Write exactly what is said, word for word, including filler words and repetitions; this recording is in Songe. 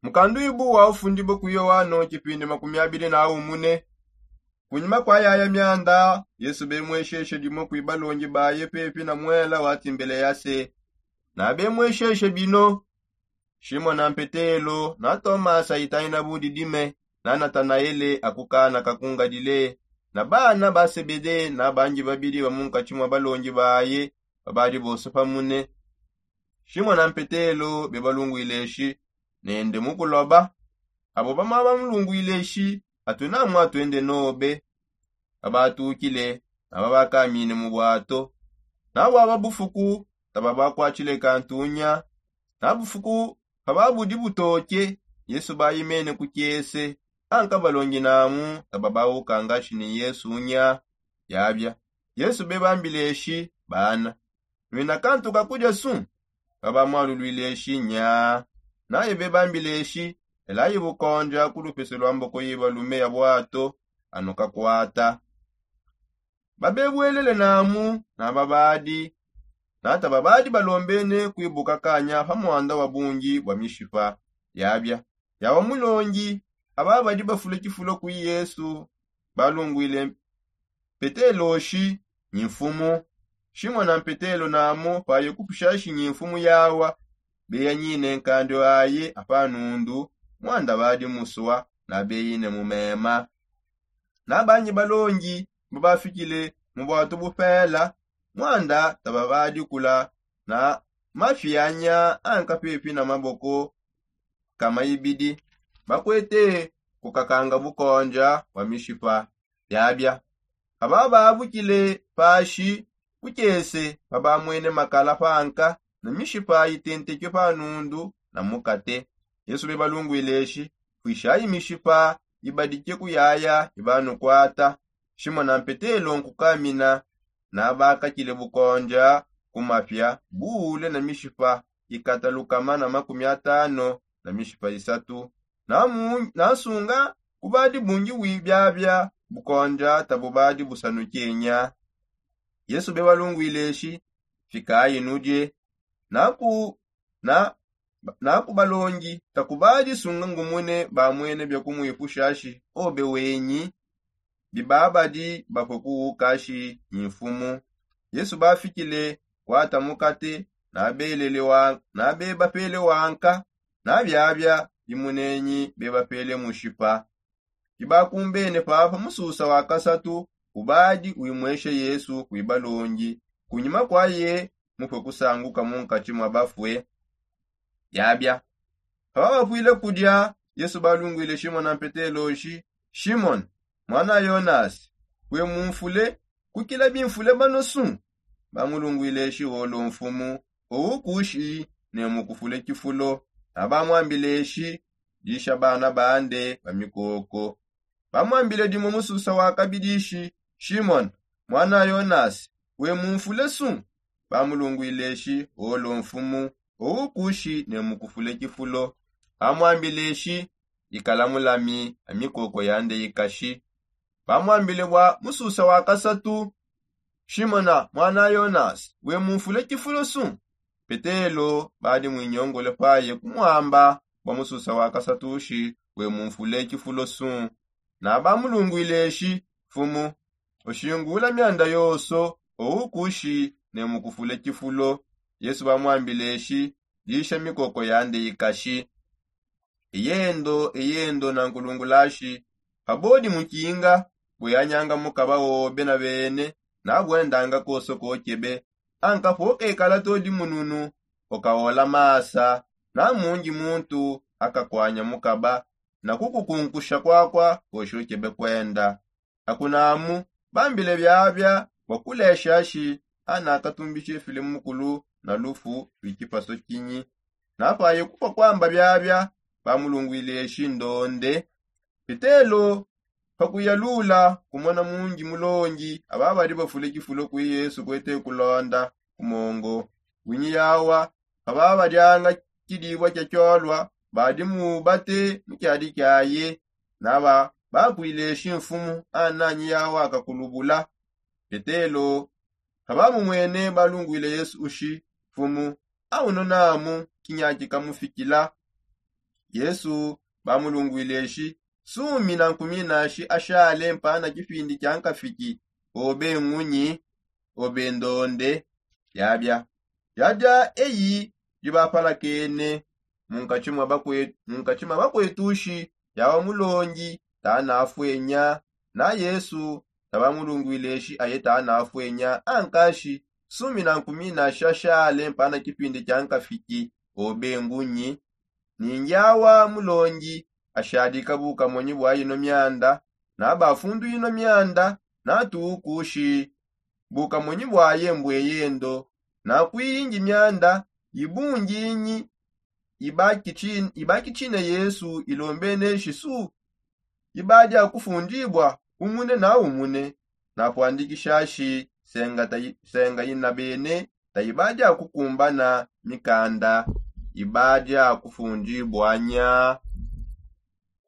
Mukanduibu wa ufundibue ku yoano tshipindi makumi abili na umune. Kunyima kua yaya mianda, yesu bemwesheshe dimue kui balongi baye pepi na muela wa timbeleyase. Na bemwesheshe bino: shimona mpetelo, na tomasa itangina budidime, na natanaele aku kana ka ku ngalile, na bana ba sebede na bangi babidi ba munkatshi mua balongi baye babadi bonso pamune. Shimona mpetelo bebalunguile eshi nende mu kuloba. Abo bamua bamulunguile eshi: atu namua tuende nobe. Babatukile, na babakamine mu buato. Na buaba bufuku, tababakuatshile kantunya. Na bufuku pababudi butoke, yesu bayimene ku kiese. Anka balongi namu tababahukangashi ni yesu nya. Yabia, yesu bebambile eshi: bana, nuina kantu ka kudia su? Babamualuluile eshi: nya. Naye bebambile eshi: elayi bukondia ku lupese lua mboko yibalume ya buato, anukakuata. Babebuelele namu na babadi, nata babadi balombene kuibuka kanya pa muanda wa bungi bua mishipa. Yabia, yawa mulongi. Aba badi bafule tshifulo kui yesu balunguile petelo shi: nyi mfumu. Shimona mpetelo namu paye kupushashi nyi mfumu yawa, beyanyine nkandi aye apa nundu, muanda badi musua, na beyine mu mema. Na bangi balongi babafikile mu buatu bupela, muanda tababadi kula na mafi anya anka pepi na maboko ka maibidi, bakuete kukakanga bukondia bua mishipa. Biabia, aba babukile pashi ku kiese, babamuene makala panka na mishipa itenteke pa nundu na mukate. Yesu bebalunguile eshi: puishayi mishipa ibadike kuyaya ibanukuata. Shimona mpetelo nkukamina, na bakakile bukondia ku mapia buule na mishipa ikata lukama na makumi atano na mishipa isatu. Na nsunga kubadi bungi bui biabia bukondia tabubadi busanukenya. Yesu bebalunguile eshi: fikayi nudie. Na ku na na ku balongi: takubadi sunga ngumune bamuene bia kumuipushashi obe wenyi, bibabadi bapue kuwukashi nyi mfumu. Yesu bafikile kuata mukate, na bebapele wanka, na biabia bimunenyi bebapele mushipa. Bibakumbene papa mususa wa kasatu ubadi uimwesha yesu kui balongi, kunyima kuaye mupue kusanguka munkatshi mua bafue. Biabia, pababapuile kudia, yesu balunguile shimona mpetelo shi: shimona, muana yonasi, we mumfule kukila bimfule banosu? Bamulunguile shi: olo mfumu, owu kushi ne mukufule tshifulo. Na bamuambile shi: disha bana bande ba mikoko. Bamuambile dimue mususa wa kabidi shi: shimona, muana yonasi, we mumfule su? Bamulunguile shi: olo mfumu, owu kushi ne mukufule tshifulo. Bamuambile shi: ikala mulami a mikoko yande ikashi. Bamuambile bua mususa wa kasatu: shimona, muana yonasi, we mumfule tshifulo su? Petelo badi muinyongole paye kumuamba bua mususa wa kasatu shi: we mumfule tshifulo su? Na bamulunguile shi: mfumu, ushingula mianda yonso, owu kushi ne mukufule tshifulo. Yesu bamuambile shi: disha mikoko yande ikashi. Eyendo eyendo nankulungulashi, pabodi mukinga, buyanyanga mukaba wobe na bene, nabuendanga koso kokebe. Anka pokaekala todi mununu, ukaola masa, na mundi muntu akakuanya mukaba na kukukunkusha kuakua koshi ukebe kuenda. Akunamu bambile biabia bua kulesha shi ana akatumbishe filimu mukulu na lufu lwi tshipaso tshinyi. Napaye kupua kuamba biabia, bamulunguile shi ndonde. Petelo pakuyalula kumona mundi mulongi aba badi bafule tshifulo kui yesu kuete kulonda ku mongo. Winyi yawa paba badianga tshidibua tshia tshiolua, badi mubate mu tshiadi tshiaye. Naba bakuile shi mfumu ananyi yawa akakulubula. Petelo pabamumwene balunguile yesu ushi: mfumu, aunu namu kinyaki kamufikila. Yesu bamulungwile shi, sumi na nkumi nashi ashale mpana kipindi kia nkafiki, obe ngunyi, obe ndonde. Yabya yabya eyi dibapalakene munkatshi mwa bakwetushi, yawa mulongi tanafwenya. Na yesu tabamulungwile shi aye tanafwenya ankashi, sumi na nkumi nashi ashale mpana kipindi kia nkafiki, obe ngunyi. Ningi awa mulongi ashadika bukamonyi bwa yino myanda, nabafundu yino myanda, natuukushi bukamonyi bwaye mbweyendo. Nakwiyingi myanda yibunginyi, ibakitshine yesu ilombene shisu, ibadia kufundibwa umune na umune. Napwandikishashi senga yina bene tayibadia kukumbana mikanda, ibadia kufundibwanya.